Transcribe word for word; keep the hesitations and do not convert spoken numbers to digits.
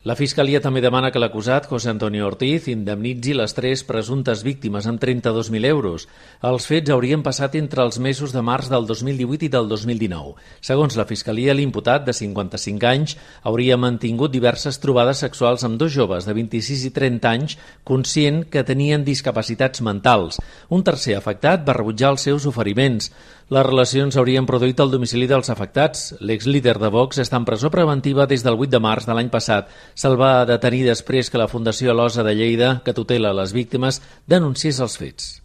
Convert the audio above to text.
La Fiscalia també demana que l'acusat, José Antonio Ortiz, indemnitzi les tres presumptes víctimes amb trenta-dos mil euros. Els fets haurien passat entre els mesos de març del dos mil divuit i del dos mil dinou. Segons la Fiscalia, l'imputat, de cinquanta-cinc anys, hauria mantingut diverses trobades sexuals amb dos joves de vint-i-sis i trenta anys, conscient que tenien discapacitats mentals. Un tercer afectat va rebutjar els seus oferiments. Les relacions s'haurien produït al domicili dels afectats. L'exlíder de Vox està en presó preventiva des del vuit de març de l'any passat. Se'l va detenir després que la Fundació Alosa de Lleida, que tutela les víctimes, denunciés els fets.